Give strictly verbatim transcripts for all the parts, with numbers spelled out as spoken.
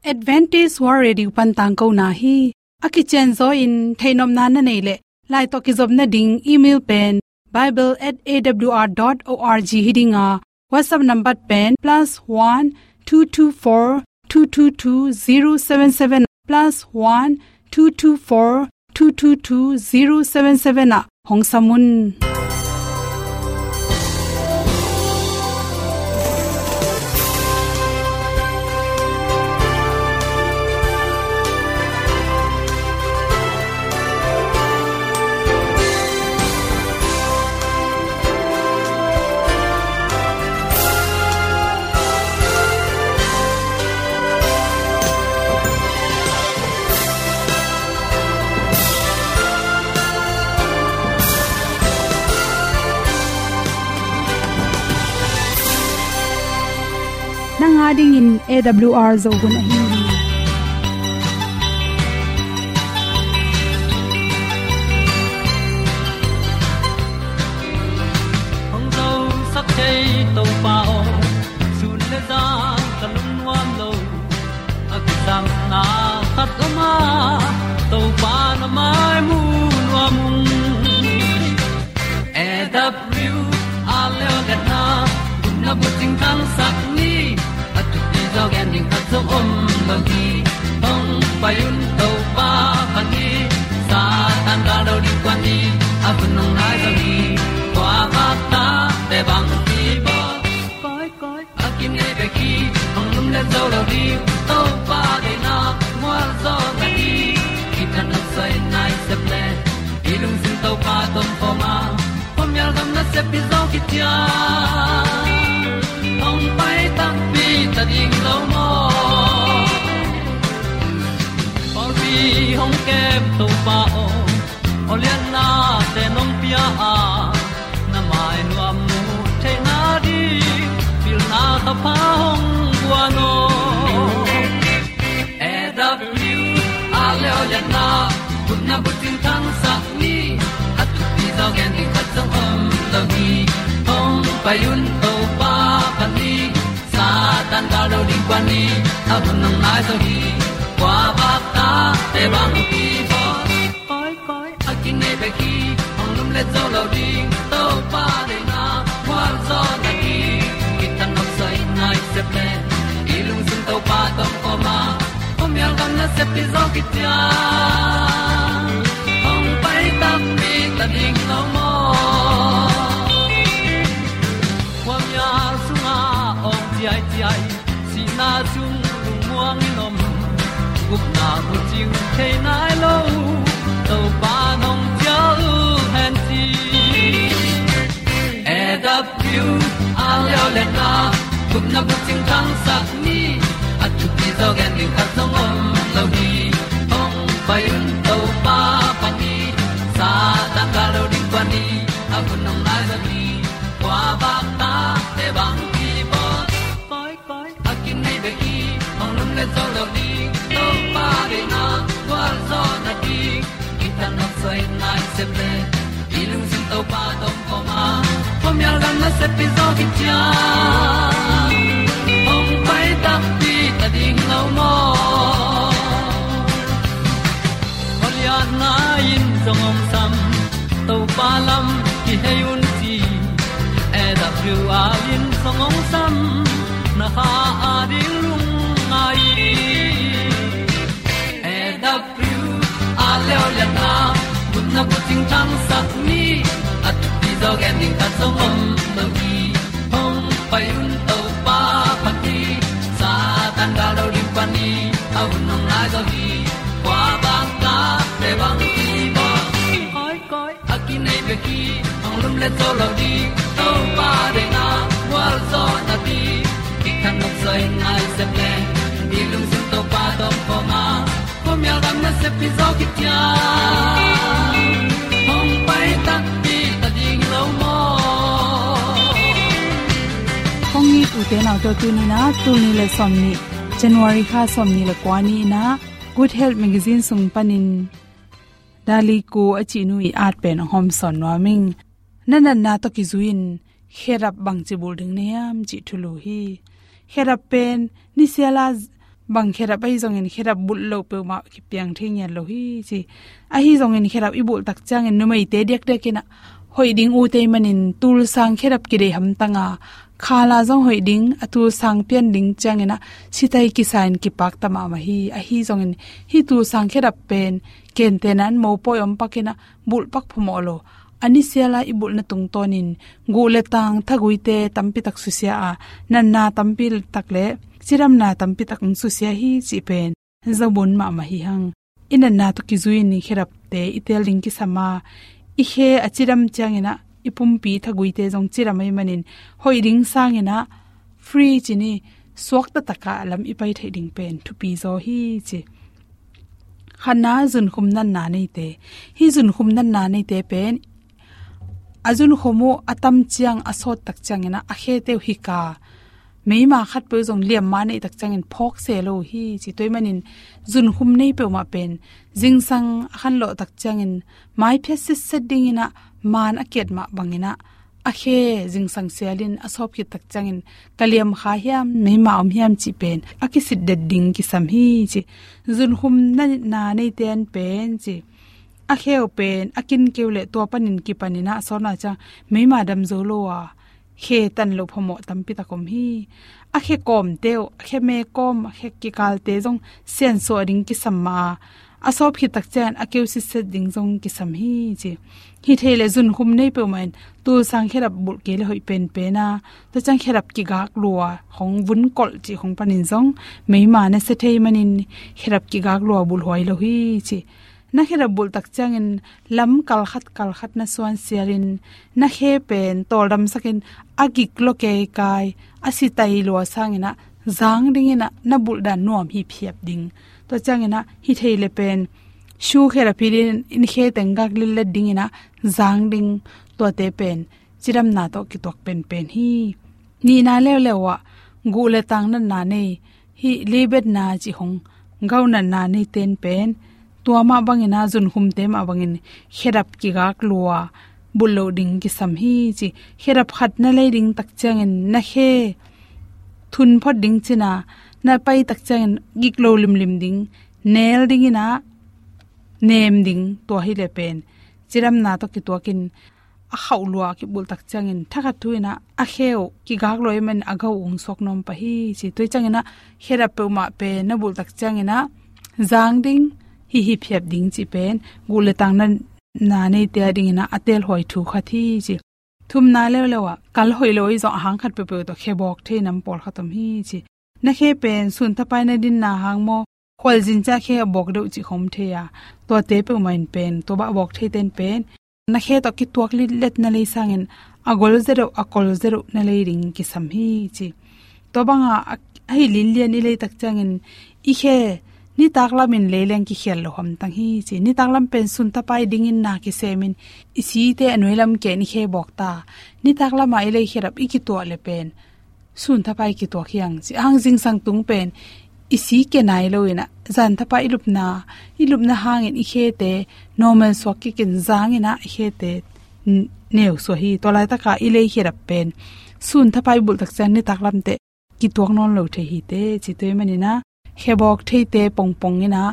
Adventist World Radio pan tangkona hi. A kicianzaw in theihnopna na neih leh, lai tawh kizopna ding email pen bible at A W R dot org hi ding a, WhatsApp number pen plus one two two four two two two zero seven seven, plus one two two four two two two zero seven seven ah hong sam un. Nang a dingin A W R Zo hun ahi hi. Hong zosak thei Topa aw, sun le zan ka lungnuam lo. A kisapna khat om a, Topa na mai mu nuam ung. A W R leo le na, gupna bucing thangsak ni. A thupi zaw gen ding khat zong om lo hi. Hong pai un Topa pan ni, Satan gal lo ding kuan ni. A hun hong nai zaw hi. Kua bak ta te bang ki bawl. Koi koi a kinei bek hi, hong lumlet zo lo ding. Topa deihna mual zaw na hi. Kithanuam soi nai sep le, i lungsim Topa tawh om khawm a, khuamial gam nasep hi zaw kician. Hong pai takpi ta ding lo maw? Pawlpi hong kem Topa aw, awlianna te nong pia a, na mai nuam mu theihna ding pilna thapha hong guan aw. A W R leo le na, gupna bucing thangsak ni. A thupi zaw gen ding khat zong om lo hi. Hong pai un Topa pan ni, Satan gal lo ding kuan ni. A hun hong nai zaw hi. Kua bak ta te bang ki bawl. Koi koi a kinei bek hi, hong lumlet zo lo ding. Topa deihna mual zaw na hi. Kithanuam soi nai sep le, i lungsim Topa tawh om khawm a, khuamial gam nasep hi zaw kician. Hong pai takpi ta ding lo maw? Khuamial sungah awng ciaiciai, sihna sung lungmuang in om. Gupna bucing thei nai lo, Topa nong cial hen ci. A W R leo le na, gupna bucing thangsak ni. A thupi zaw gen ding khat zong om lo hi. Hong pai un Topa pan ni, Satan gal lo ding kuan ni. A hun hong nai zaw hi. Kua bak ta te bang ki bawl. Koi koi a kinei bek hi, hong lumlet zo lo ding. Topa deihna gualzawhna ding, kithanuam soi nai sep le, i lungsim Topa tawh om khawm a, khuamial gam nasep hi zaw kician. Hong pai takpi ta ding lo maw? Khualiatna in zong hong sam, Topa lam kihei un ci. A W R in zong hong sam, na kha a ding lungngai. A W R leo liatna, gupna bucing thangsak ni. A thupi zaw gen ding khat zong om lo hi. Hong pai un Topa pan ni, Satan gal lo ding pan ni. A hun hong nai zaw hi. Kua bang ta te bang ki bawl. Koi koi a kinei bek hi, hong lumlet zo lo ding. Topa deihna gualzawhna ding, kithanuam soi nai sep le, i lungsim Topa tawh om khawm a, khuamial gam nasep hi zaw kician. Hong pai takpi ta ding lo maw? Kong it ute naute, tuni-in ah, tul nih le sawmnih, January kha sawmnih le kua ni-in ah, Good Health Magazine sung panin Dali Ko a cihnu i at pen hong hawmsawn nuam ing. Na natna tawh kizui-in khedap bangci bul ding na hiam cih thulu hi. Khedap pen nisiala z-, Bang khedap ahi zongin khedap bulh loh peuhmah kipiang thei ngiat lo hi ci. Ahi zongin khedap i bulh tak ciangin numeite diakdiak in ah hoih ding uh tei manin tulsang khedap kidei hamtang a, khala zong hoih ding, a tulsang pian ding ciangin ah sitai kisa in kipak ta mahmah hi. Ahi zongin hih tulsang khedap pen kentena in mopawi om pak in ah bulh pak phamawh lo. A ni siala i bulhna tungtawnin guh le tang thaguite tampi tak susia a, natna tampi tak le cidamna tampi tak hong susia hi cih pen zobun mahmah hi hang. I natna tawh kizui in i khedapte i tel ding kisam a, i khe a cidam ciangin ah i pumpi thaguite zong cidam ahih manin hoih ding sangin ah free ci ni, suakta tak a lam i pai theih ding pen thupi zaw hi ci. Khatna, zunkhum natna neite. Hih zunkhum natna neite pen a zunkhum uh a tam ciang a sawt tak ciangin ah a khete uh hik a, meima khat peuh zong liamma neih tak ciangin phawk se lo uh hi ci. Tua ahih manin zunkhum nei peuhmah pen zingsang a khanlawh tak ciangin maiphiat sitset dingin ah maan a kiat mah bangin ah a khe zingsang sialin a sawp khit tak ciangin ka liam kha hiam, meima om hiam cih pen a kisitdet ding kisam hi ci. Zunkhum natna neite an pen ci, a khe uh pen a kin keu le tua panin kipanin ah a sawtna ciang meima dam zo lo a khe tan loh phamawh tampi tak om hi. A khe kawmte uh, a khe me kawm, a khe kikalte zong siansuah ding kisam mah a, a sawp khit tak ciang a keu sitset ding zong kisam hi ci. Hi thei le zunkhum nei peuhmah in tulsang khedap bulh kei le hoih penpen a, tua ciang khedap kigak lua khong, vun kolh cih khong panin zong meima na sia thei manin khedap kigak lua bulh huai lo hi ci. Na khedap bulh tak ciangin lam kalkhat kalkhat na suan sialin na khe pen tawldamsakin a gik lua keikai, a sitai lua sangin ah zang dingin ah na bulh dan nuam hiphiap ding. Tua ciangin ah hi thei le pen shu khedap hilhin i khe teng gak lillet dingin ah zang ding, tuate pen cidamna tawh kituak penpen hi. Nihna leuleu ah guh le tang natna nei, hih libetna cih khong, gout natna neite in pen tua mah bangin ah zunkhumte mah bangin khedap kigak lua bulh loh ding kisam hi ci. Khedap khat na lei ding tak ciangin na khe thun phot ding cin a, na pai tak ciangin gik lo limlim ding, nel dingin ah nem ding, tua hi le pen cidamna tawh kituakin a khauh lua kibulh tak ciangin thakhat thu in ah a khe uh kigak lua ahih manin a gout uh hong suak nuam pah hi ci. Tua ciangin ah khedap peuhmah pen na bulh tak ciangin ah zang ding, hihiphiap ding cih pen guh le tang natna neite a dingin ah a telhuai thu khat hi ci. Thumna leuleu ah kal hoih lo ahi zong a hang khat peuhpeuh tawh khe bawk thei nam pawlkhat om hi ci. Na khe pen sun thapai na dinna hang maw, khualzin ciang khe a bawk deuh cih khong om thei a, tuate peuhmah in pen tua bah a bawk theite in pen na khe tawh kituak litlet na lei sangin a gol zia deuh, a kol zia deuh na lei ding kisam hi ci. Tua banga a, a hi linlian i lei tak ciangin i khe nitak lamin lei leng kikhial lo hamtang hi ci. Nitak lam pen sun thapai dingin na kisemin i site a nuai lam ken i khe bawk ta. Nitak lama i lei khedap i kituah le pen sun thapai kituak hi hang ci. A hang zingsang tung pen i si kia nai lo in ah zan thapai i lupna, i lupna hangin i khete normal suak kikin zangin ah i khete n-, neu suak hi. Tua laitaka i lei khedap pen sun thapai bulh tak ciang nitak lamte kituak nawn lo thei hi te ci. Tua ahih manin ah khe bawk theite pongpong in ah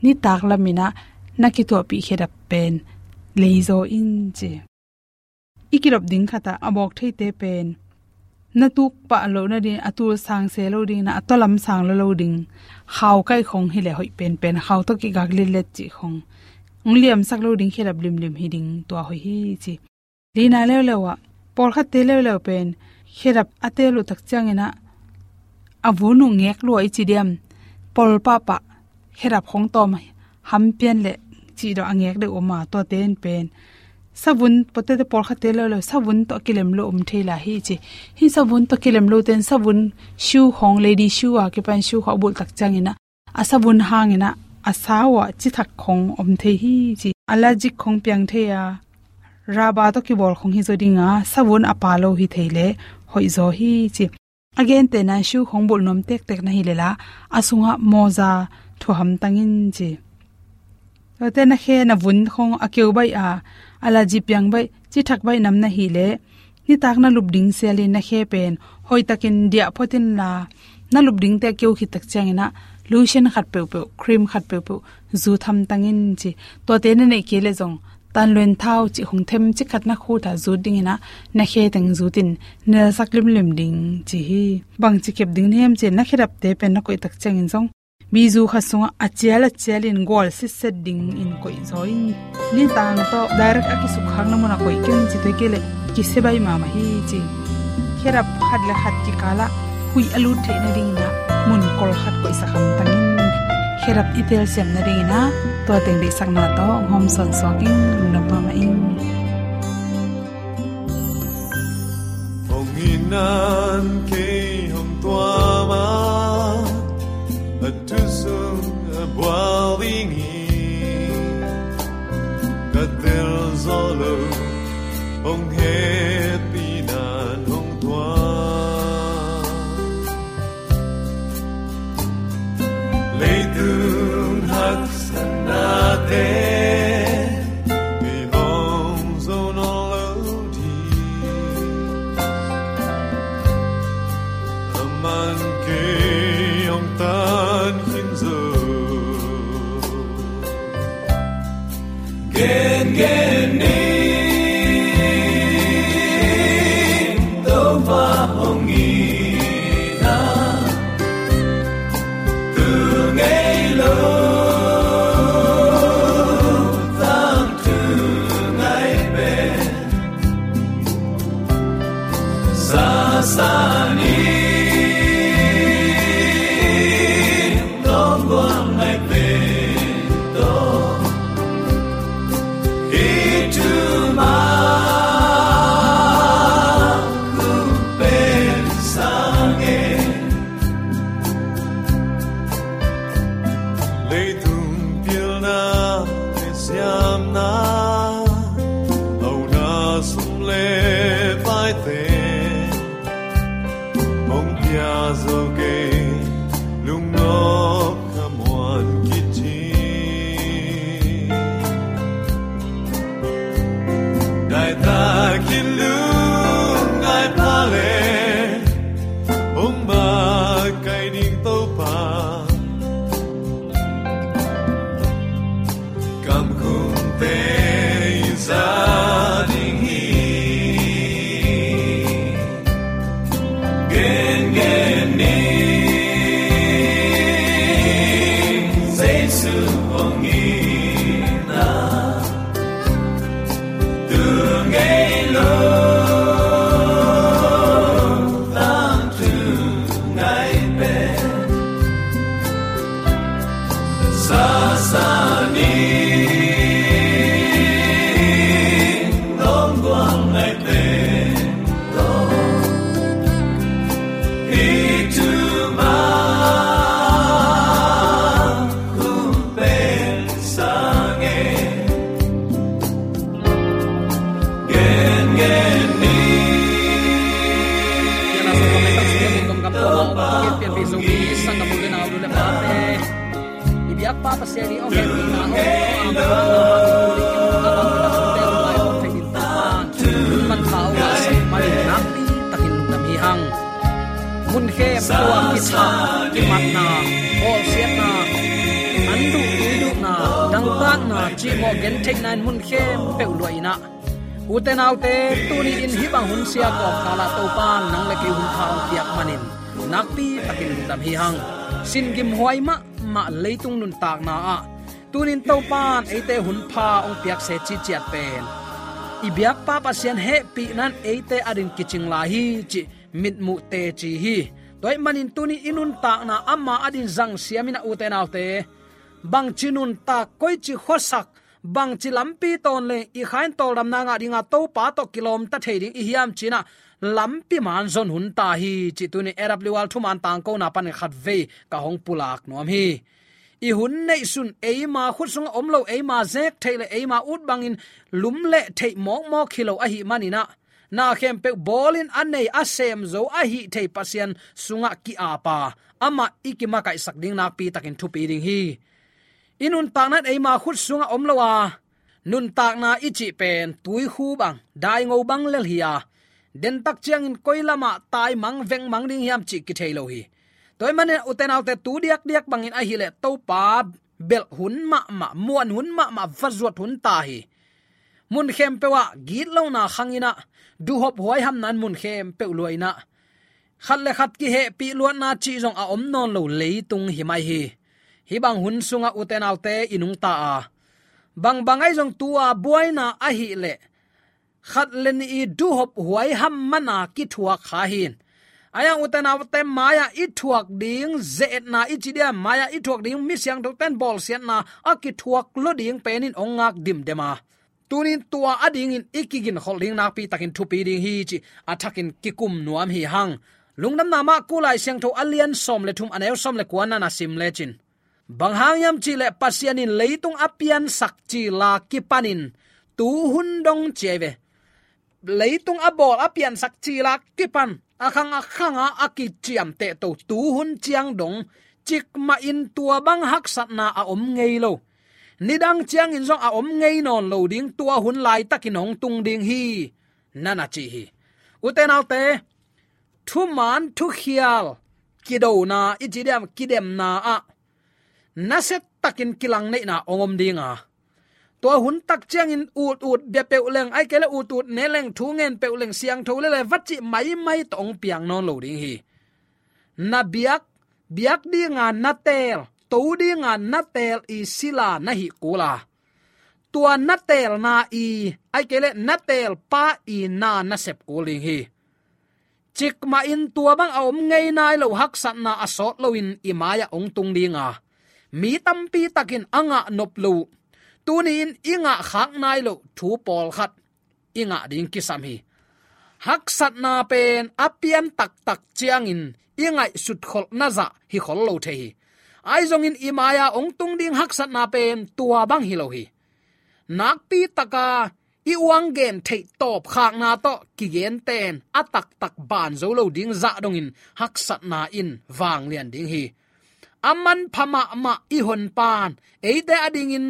nitak lamin ah na kituahpih khedap pen lei zaw in ci. I kidop ding khat ah a bawk theite pen na tuk pah loh nading, a tul sang se lo ding in ah a tua lam sang lo lo ding, khau kaih khong hi le hoih penpen, khau tawh kigak litlet cih khong, hong liamsak lo ding khedap limlim hi ding, tua hoih hi ci. Lina leuleu ah pawlkhatte leuleu pen khedap a tel uh tak ciangin ah a vun uh ngek lua i ci diam, pawl pahpah khedap khong tawm hampian le cih dawh a ngek deuh om a, tuate in pen savun, pawlkhatte leuleu savun tawh a kilem lo om thei lai hi ci. Hih savun tawh kilem lote in savun shoe khong, lady shoe a kipan shoe khong a bulh tak ciangin ah a savun hangin ah a sau ah cithak khong om thei hi ci. Allergic khong piang thei a, raba tawh kibawl khong hi zaw ding a, savun a pha lo hi thei le hoih zaw hi ci. A gentehna shoe khong bulh nuam tektek na hi le la, a sungah mawza thuah hamtang in ci. Tuate na khe na vun khong a keu baih a, allergy piang baih, cithak baih nam na hi le nitak na lup ding sialin na khe pen hoihtakin diah phot in la, Na lup dingte a keu khit tak ciangin ah lotion khat peuhpeuh, cream khat peuhpeuh zut hamtang in ci. Tuate na neih kei leh zong tanluen thau cih hong them cik khat na khut ah zut dingin ah na khe teng zut in nelsak limlim ding ci hi. Bangci kep ding na hiam cih leh na khedapte pen na koih tak ciangin zong bizu khat sungah a cial a cialin gual sitset dingin koih zaw in. Nitang tawh direct a kisukkhakna munah koih kei un ci, tua hi kei leh kisia baih mahmah hi ci. Khedap khat le khat kikalah huih a lut theih nadingin ah mun kol khat koihsak hamtang in. Khedap i telsiam nadingin ah tua teng deihsakna tawh hong hawmsawn suak ing. Lungdam mahmah ing. Hong itna in kei hong tuam a, a thu sung a bual ding hi. Ka tel zo lo, hong hehpihna in hong tuam. Leitung haksatnate kei hong zo nawn lo ding, aman kei hong tan khin zo. Gengen ni, Topa hong itna tu ngei lo, tangthu ngai pen sasa ni. Tawng guang ngai pen tawh, i thu mah hong pen sang e. Leitung pilna le siamna, hauna sum le paite hong pia zo kei, lungnop khamuan khit hi. Daitakin lungngai pha le, hong makaih ding Topa, kamkhumte i za ding hi. Gengen ni, Jesu hong itna tu ngei lo, tangthu ngai pen sasa ni. Tawng guang ngai pen tawh, i thu mah hong pen sang e. Gengen ni. Pian a sa tawh mei tak sung in gam tawh a om kong pianpih zo mi sanggam u le nau, nu le pate, i biakpa Pasian i hong hehpihna, hong tawh a, a bang na hong tul in a bang na hong tel lai hong thei ding Topa in hong manpha hong ngahsak manin nakpi takin lungdam hi hang. Mun khempeuh ah kithah, kimatna, bawlsiatna, an duh tui duhna, dangtakna, cihmawh gentheihna in mun khempeuh luah in ah, ute naute, tuni in hih bang hun sia kawmkal ah Topa in nang le kei hun pha hong piak manin nakpi takin lungdam hi hang. Sin gimhuai mahmah leitung nuntakna ah tuni in Topa in eite hun pha hong piak se cihciat pen i biakpa Pasian hehpihna in eite adin kicing lai hi cih mitmuh teci hi. Tua ahih manin tuni i nuntakna ama adin zangsiam in ah, ute naute, bangci nuntak, koici khuasak, bangci lampi tawn leng i kha in tawldamna ngah dinga Topa tawh kilawmta thei ding i hiam ci in ah, lampi man zon hun ta hi cih tuni A W R thuman tangkona panin khatvei ka hong pulak nuam hi. I hun neihsun eima khut sungah om lo, eima zek theih le eima ut bangin lumleh theih mawkmawk hi lo ahih manin ah, na khempeuh bawlin a nei a sem zo a hih thei Pasian sungah ki-ap a, amah i kimakaihsak ding nakpi takin thupi ding hi. I nuntakna in eima khut sungah om lo a, nuntakna i cih pen tuikhu bang, daingo bang lel hi a, dentak ciangin koi lamah taimang vengmang ding hiam cih kithei lo hi. Tua ahih manin ute naute, tu diakdiak bangin ahih leh Topa belh hun mahmah, muan hun mahmah, va zuat hun ta hi. Mun khempeuh ah gitlohna khang in ah, duhhop huaihamna in mun khempeuh lua in ah, khat le khat kihehpih luatna cih zong a om nawn lo leitung hi mai hi. Hih bang hun sungah ute naute, i nungta a, bangbang ahi zong tu-a buaina ahih leh khat le nih i duhhop huaiham man a kithuak kha hi. Ahi hang ute naute, mai-ah i thuak ding ze-etna i ci diam, mai-ah i thuak ding mi siangthote'n bawlsiatna a kithuak lo ding pen in hong ngak dimdem a, tuni in tua adingin i kiginkholh ding nakpi takin thupi ding hi cih a thakin kikum nuam hi hang. Lungdamna mah, Kuh Lai Siangtho a lian sawm le thum, a neu sawm le kua na na sim lecin, bang hang hiam cih leh Pasian in leitung a piansak cil a kipanin tu hun dong, ci ahi ve. Leitung a bawl a piansak cil a kipan, a khang a khang a a kiciamteh to tu hun ciang dong, cikmah in tua bang haksatna a om ngei lo, nidang ciangin zong a om ngei nawn lo ding, tua hun laitakin hong tung ding hi, na na ci hi. Ute naute, thuman thukhial kidona i ci diam, kidemna ah nasia takin kilangneihna hong om ding a, tua hun tak ciangin ut ut bia peuh leng, ahih kei leh ut ut ne leng, thu ngen peuh leng, siangtho lel leh va cih maimai tawh hong piang nawn lo ding hi. Na biak, biak dinga na teel, to dinga na teel i sila na hih kul a, tua na teelna i, ahih kei leh na teelpa i na na sep kul ding hi. Cikmah in tua bang a om ngei nai lo haksatna a sawt loin i mai-ah hong tung ding a, mi tampi takin a ngah nop lo, tuni-in i ngah khak nai lo thu pawlkhat i ngah ding kisam hi. Haksatna pen a pian taktak ciangin i ngaihsut kholhna zah hi khol lo thei hi. Ahi zongin i mai-ah hong tung ding haksatna pen tua bang hi lo hi. Nakpi taka i uang gen theih tawpkhakna tawh kigente'n a taktak ban zo lo ding zah dongin haksatna in vanglian ding hi. A manpha mahmah i honpa'n eite adingin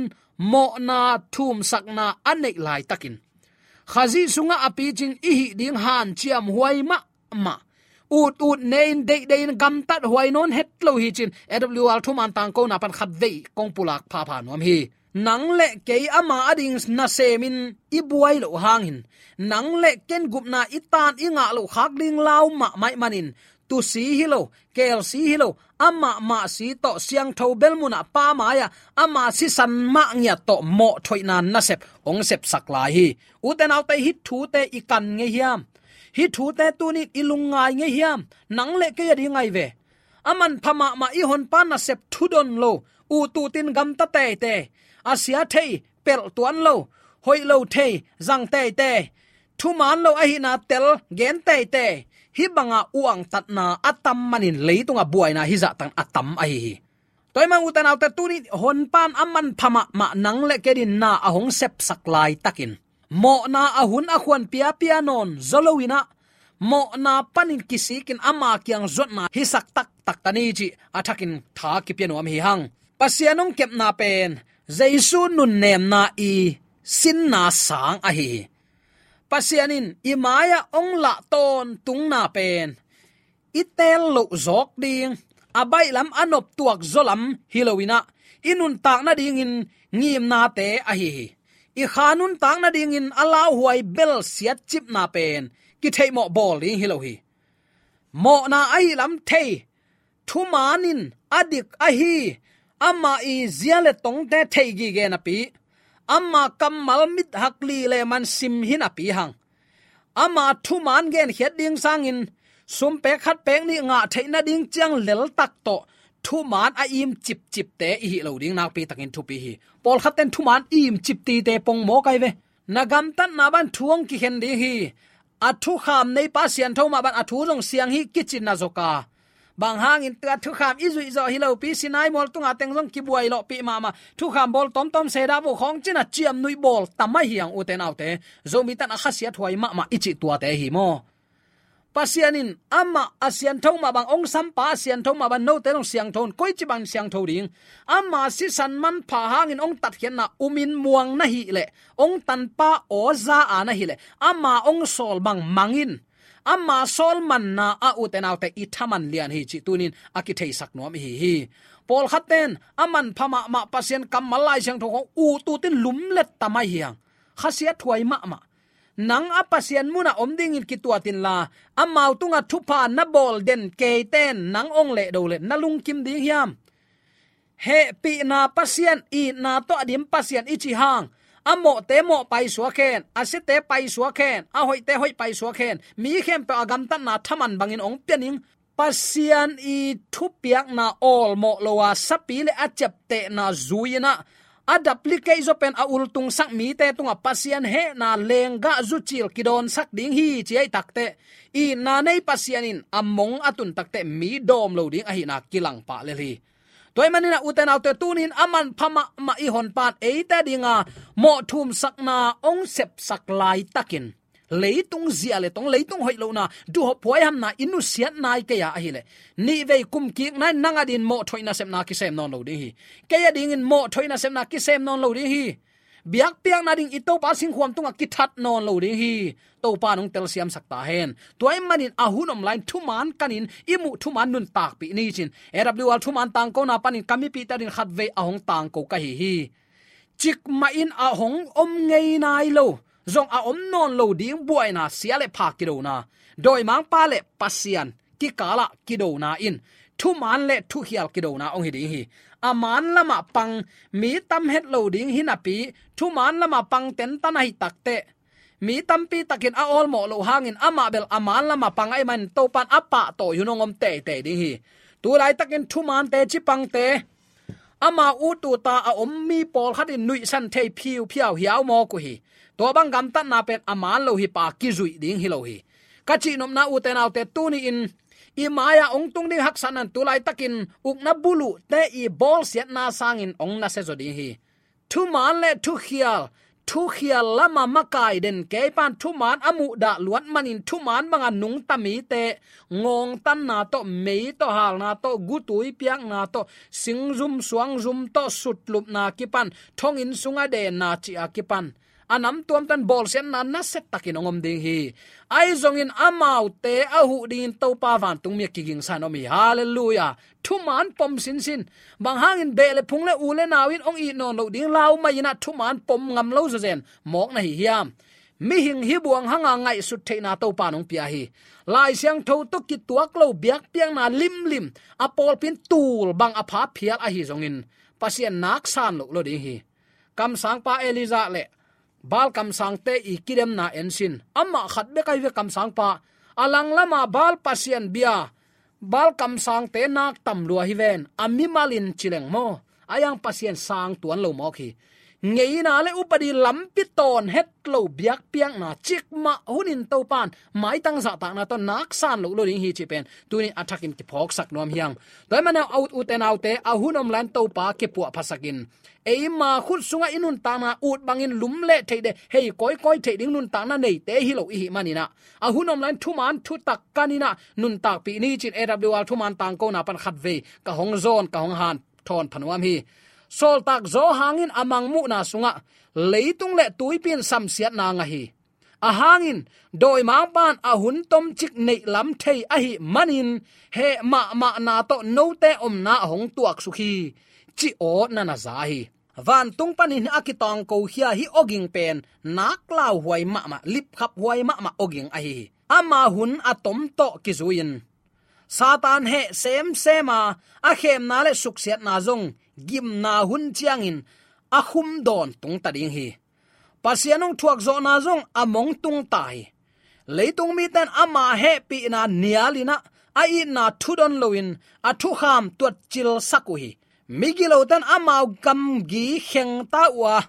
mawhna thumsakna a neih laitakin, Khazih sungah a picing i hih ding hanciam huai mahmah, ut ut ne-in, deih deih in, gamtat huai nawn het lo hi ci-in A W R thuman tangkona pan khatvei kong pulak phapha nuam hi. Nang le kei ama ading nasemin i buai loh hangin, nang le ken gupna i taan i ngah loh khak ding lau mahmah ahih manin, tusi hi lo, kelsi hi lo, amah mah si tawh siangtho bel munah Pa mai-ah ama sisan mah ngiat tawh mawhthoihna nasep hong sepsak lai hi. Ute naute, hih thute i kan ngei hiam? Hih thute tuni-in i lungngai ngei hiam? Nang le kei ading ahi ve. A manpha mahmah i honpa nasep thudon lo, ut ut in gamta teitei, a sia thei pelh tuan lo, hoih lo thei zang teitei, thuman lo ahihna tel gen teitei, hih banga uangtatna a tam manin leitungah buaina hih zahtakin a tam ahi hi. Tua ahih manin ute naute, tuni honpa'n a manpha mahmah nang le kei adingin na a hong sepsak laitakin, mawhna a hun a khuan piapia nawn zaw loin ah, mawhna panin kisikin ama kiang zuatna hisak taktak ka ni cih a thakin tha kipia nuam hi hang. Pasian hong kepna pen Jesu nunnemna i sinna sang ahi hi. Pasian in i mai-ah hong lah tawntungna pen i teel loh zawk ding, a baihlam a noptuak zaw lam hi loin ah, i nuntak nadingin ngimnate ahi hi. I kha nuntak nadingin a lauhuai bel siatcipna pen kitheihmawh bawl ding hi lo hi. Mawhna ahih lam thei, thuman in a dik ahi, ama i zia le tongte thei gige napi, ama kammal mithak li le man sim hi napi hang, ama thuman genkhiat ding sangin sumpek khatpek nih ngah theih nading ciang leltak tawh thuman a im cipcipte i hih loh ding nakpi takin thupi hi. Pawlkhatte'n thuman im cip tite pongmawk ahi ve. Na gamtatna bang thu hong kikhen ding hi. A thukham neipa siangtho mah bang a thu zong siang hi kici na zawk a, bang hangin tua thukham i zuih zawh hi lopi, Sinai mual tunga teng zong kibuai lawhpih mahmah, thukham bawl tawmtawm sedah vo khawng ci-in a ciamnuih bawl tam ahi hang, ute naute. Zomite'n a khasiathuai mahmah i cih tuate hi maw. Pasian in amah a siangtho mah bang, hong sampa a siangtho mah bang, note zong siangtho un, koici bang siangtho ding? Ama sisan manpha hangin hong tatkhiatna umin muang na hih leh, hong tanpa aw za a na hih leh, ama hong sawl bang mang in. Ama sawl manna ah, ute naute, i thaman lian hi cih tunin a kitheisak nuam ihi hi. Pawlkhat ten a manpha mahmah Pasian kammal, Lai Siangtho khawng ut utin lumlet ta mai hi hang. Khasiat huai mahmah. Nang a Pasian munah om dingin kituat inla, amau tungah thupha na bawl den keiten nang hong lehdo leh na lungkim ding hiam? Hehpihna Pasian, itna tawh a dim Pasian i cih hang, a mawhte mawh paisuak hen, a siate paisuak hen, a hoihte hoih paisuak hen, mi khempeuh a gamtatna thaman bangin hong pia ning. Pasian i thupiakna awlmawh lo a, sapi le a ciaptehna zui-in ah, a duplicate zaw pen a ultungsak mite tungah Pasian hehna lenggah zucil kidawnsak ding hi ci ahih takteh, itna nei Pasian in a mong a tun takteh mi dawm lo ding ahihna kilang pah lel hi. Tua ahih manin ah, ute naute, tunin a manpha mahmah i honpa in eite dinga mawh thumsakna hong sepsak laitakin, leitung zia le tong, leitung hoih lohna, duhhop huaihamna i nusiat nai kei a ahileh, nihvei kum kik nai nang a dingin mawhthoih nasepna kisem nawn lo ding hi. Kei a dingin mawhthoih nasepna kisem nawn lo ding hi. Biakpiakna ding i Topa singkhuam tungah kithat nawn lo ding hi. Topa in hong telsiamsak ta hen. Tua ahih manin a hun om lai-in thuman kanin, i muh thuman nuntakpih ni cin A W R Thuman Tangkona panin ka mipihte adingin khatvei a hong tangko ka hi hi. Cikmahin a hong om ngei nai lo, zong a om nawn lo ding buaina, sia le pha kidona, dawimangpa le Pasian kikalah kidona in thuman le thukhial kidona hong hi ding hi. A man lamah pang mi tam het lo ding hi napi, thuman lamah pang tentan ahih takteh, mi tampi takin a awlmawh loh hangin amah bel a man lamah pang ahih manin Topa in a pahtawi hun hong om teitei ding hi. Tu laitakin thumante, cipangte, amau ut uta a om mi pawlkhat in nuihsan thei phiuphiau hiau mawk uh hi. Tua bang gamtatna pen a man lo hi, pa kizuih ding hi lo hi. Ka cihnopna, ute naute, tuni-in i mai-ah hong tung ding haksatna in tu laitakin ukna buluhte i bawlsiatna sangin hong nasia zaw ding hi. Thuman le thukhial, thukhial lama makai den kei pan thuman a muhdah luat manin thuman banga nungta mite ngawngtanna tawh, mei tawh, halna tawh, gutui piakna tawh, singzum suangzum tawh, sutlupna kipan, thonginn sunga denna cih a kipan, a namtuamte in bawlsiatna nasia takin hong om ding hi. Ahi zongin amaute a huh dingin Topa vantung mi a kigingsa in om hi. Halleluiah. Thuman pom sinsin. Bang hangin beh le phung le u le nau in hong it nawn loh ding lau mai-in ah thuman pom ngam lo zawzen mawk na hi hiam? Mihing hi buang hanga ngaihsut theihna Topa in hong pia hi. Lai Siangtho tawh kituak lo biakpiakna limlim a pawlpi in tul bang a pha phial ahi zongin Pasian naksan loh lo ding hi. Kamsangpa Elijah le Baal kamsangte i kidemna en sin. Amah khat bek ahi ve kamsangpa. A lang lama Baal pasian bia, Baal kamsangte nak tam lua hi ven. A mimalin ci leng maw, a yang Pasian sang tuan lo mawk hi. Ngeina le upadi lampi tawn het lo biakpiakna, cikmah hunin Topa in maitang zahtakna tawh naksan loh lo ding hi cih pen tuni a thakin kiphawksak nuam hi hang. Tua ahih manin ah, ute naute, a hun om lai-in Topa kipuahphasak in. Eima khut sungah i nuntakna ut bangin lum le theih deh, hei kawikawi theih ding nuntakna neite hi lo i hih manin ah, a hun om lai-in thuman thutak kanin ah nuntakpih ni cin A W R Thuman Tangkona pan khatvei ka hong zawn, ka hong hanthawn pha nuam hi. Sawltak Johan in a mangmuhna sungah leitung le tuipi in samsiatna ngah hi. A hangin dawimangpa in a hun tomcik neihlam thei ahih manin, heh mahmahna tawh note omna a hong tuaksuk hi, ci aw na na za hi. Vantung panin a kitangkokhia hih awging pen nak lauhuai mahmah, lipkhaphuai mahmah awging ahi hi. Ama hun a tom tawh kizui-in Satan heh semsem a, a khemna le suksiatna zong gimna hun ciangin a khum dawn tungta ding hi. Pasian hong thuakzawhna zong a mong tungta hi. Leitung mite in ama hehpihna nialin ah, a itna thudon loin a thukham tuatcilsak uh hi. Migilote in amau gamgi khengta uh a,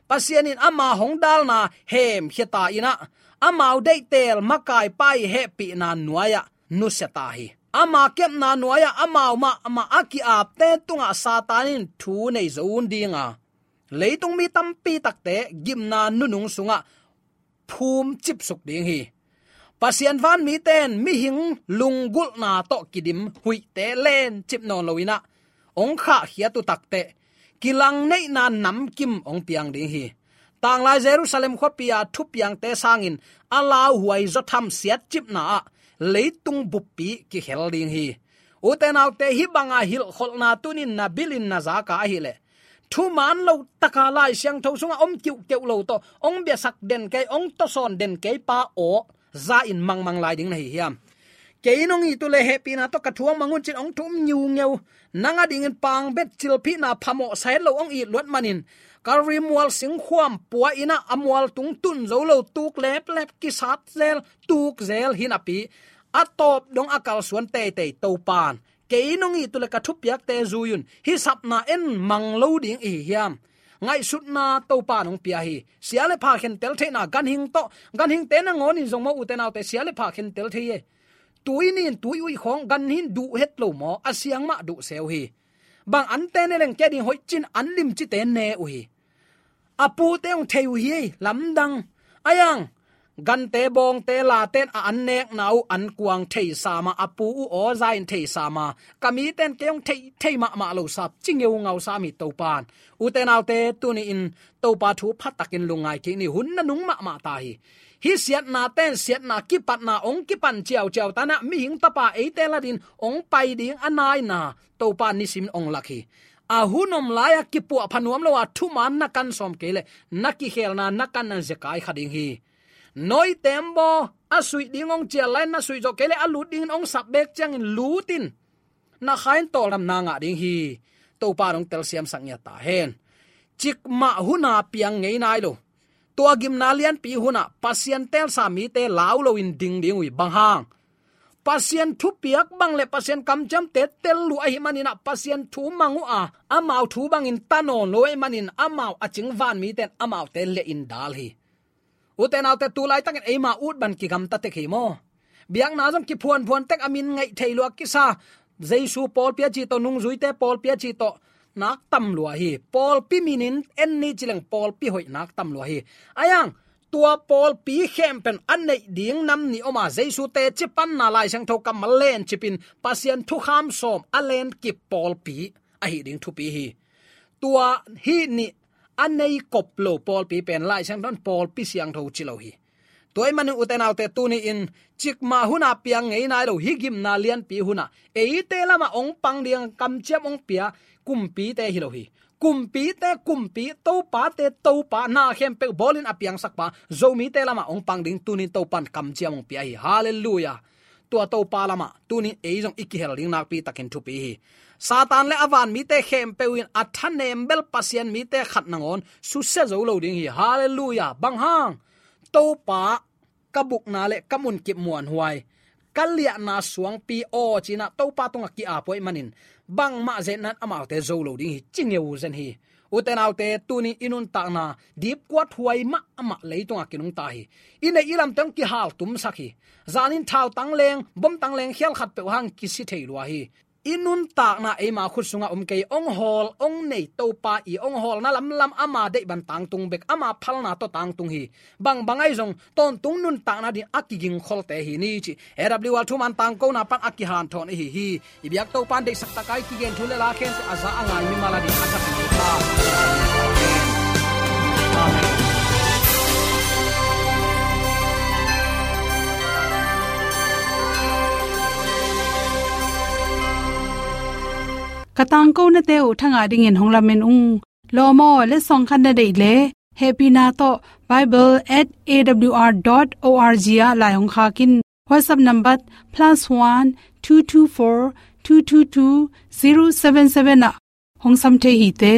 Pasian in ama hong dalna hemkhia ta in ah, amau deihtel makaipa i hehpihna nuai-ah nusia ta hi. Ama kepna nuai-ah amau mahmah a ki-apte tungah Satan in thu nei zo un ding a, leitung mi tampi takte gimna nunung sungah phum cipsuk ding hi. Pasian vanmite in mihing lunggulhna tawh kidim huihte lencip nawn loin ah, hong khahkhiat uh takteh, kilangneihna namkim hong piang ding hi. Tanglai Jerusalem khuapi-a thupiangte sangin a lauhuai zawtham siatcipna ah leitung buppi kikhel ding hi. Ute naute, hih banga hilhkholhna tunin na bilin na zaka ahileh, thuman lo taka Lai Siangtho sungah om kiuhkeuh lo tawh hong biasak den kei, hong tawsawn den kei pa aw za-in mangmang lai ding na hi hiam? Kei in hong it uh leh hehpihna tawh ka thu hong mang un cin hong thu um ngiungeu. Nang adingin pangbet cilphihna phamawh sa het lo hong it luat manin, Kalvari mual singkhuam pua in ah a mual tung tun zo lo, tuk leplep, kisat zel, tuk zel hi napi, a tawp dong a kalsuan teitei Topa'n kei in hong it uh leh ka thupiakte zui un. Hih sapna en mang lo ding i hi hiam? Ngaihsutna Topa'n hong pia hi. Sia le pha khentel theihna, ganhing tawh, ganhingte nangawnin zong maw ute naute, sia le pha khentel thei hi. Tui nin tui uih khawng ganhing duh het lo maw, a siang mah duh seu hi. Bang ante ne leng kei ading hoih cin an limcite ne uh hi. A pute hong thei uh hi ei, lamdang. Ai ang, gante bawngte laten a an nekna uh an kuang thei sam a, a pu uh aw za-in thei sam a, ka miten kei hong thei, thei mahmah lo sam, ci ngeungau sam hi Topa'n. Ute naute, tuni-in Topa thu pha takin lungngai kik ni, hun nanung mahmah ta hi. Hih siatnate'n siatna kipatna hong kipan ciauciau ta in ah, mihing Tapa eite ladin hong pai ding a naina Topa'n nisimin hong lak hi. A hun om lai-a kipuahpha nuam lo a, thuman na kan sawm kei leh na kikhelna na kanna zekai kha ding hi. Noi tembaw a suih ding hong cial lai-in na suih zawh kei leh a lut dingin hong sap beek ciangin lut in, na kha in tawldamna ngah ding hi. Topa'n hong telsiamsak ngiat ta hen. Cikmah hun-a piang ngei nai lo, tua gimna lianpi hun-ah Pasian teelsa mite lau loin ding ding uh hi. Bang hang? Pasian thupiak bang le Pasian kamciamte tel uh ahih manin ah, Pasian thu mang uh a, amau thu bangin ta nawn lo ahih manin amau a cing van mite'n amaute lehin dal hi. Ute naute, tu laitakin eima ut bang kigamta tek hi maw. Biakna zong kiphuanphuan tek, a min ngaih thei lua kisa, Jesu pawlpi a ci tawh, nungzuite pawlpi a ci tawh, nak tam lua hi. Pawlpi minin en ni ci leng pawlpi hoih nak tam lua hi. Ai ang, tua pawlpi khempeuh a neih ding nam nih om a, Jesu teci panna Lai Siangtho kammal lencipin Pasian thukham sawm a lenkip pawlpi ahi ding thupi hi. Tua hih nih a nei kop lo pawlpi pen Lai Siangtho in pawlpi siangtho ci lo hi. Tua ahih manin ute naute, tuni-in cikmah hun-a piang ngei nai lo, hih gimna lianpi hun-ah eite lamah hong pang ding, kamciam hong pia kumpite hi lo hi. Kumpite Kumpi, topate Topa, na khempeuh bawlin a piangsakpa, Zomite lamah hong pang ding tuni-in Topa'n kamciam hong pia hi. Halleluiah. Tua Topa lamah tuni-in ei zong i kihel ding nakpi takin thupi hi. Satan le a van mite khempeuh in a thanem bel Pasian mite khat nangawn susia zo lo ding hi. Halleluiah. Bang hang? Topa, ka bukna le ka munkip muanhuai, ka liahna suangpi aw ci-in ah Topa tungah ki-ap uh ahih manin, bangmah zetna in amaute zo lo ding hi, ci ngeu zen hi. Ute naute, tuni-in i nuntakna dipkuat huai mahmah leitungah kinungta hi. I neih i lamte hong kihaltumsak hi. Zanin thau tangleng, bom tangleng khial khatpeuh hang kisi thei lua hi. I nuntakna eima khut sungah om kei, hong hawl hong nei Topa, i hong hawlna lamlam, ama deih bang tangtung bek, ama phalna tawh tangtung hi. Bangbang ahi zong tawntung nuntakna ding a kigingkholte hi ni cih A W R thuman tangkona pan a kihanthawn i hi hi. I biak Topa'n deihsak takin kigen thu le la khempeuh a za a ngai mimal adingin a thak hi. Amen. Ka tangkonate uh thangah dingin hong lamen ung. Lawm aw, letsong khat na deih leh, hehpihna tawh bible at A W R dot O R G ah lai hong khak in. WhatsApp number plus one two two four two two two zero seven seven ah hong sam thei hi te.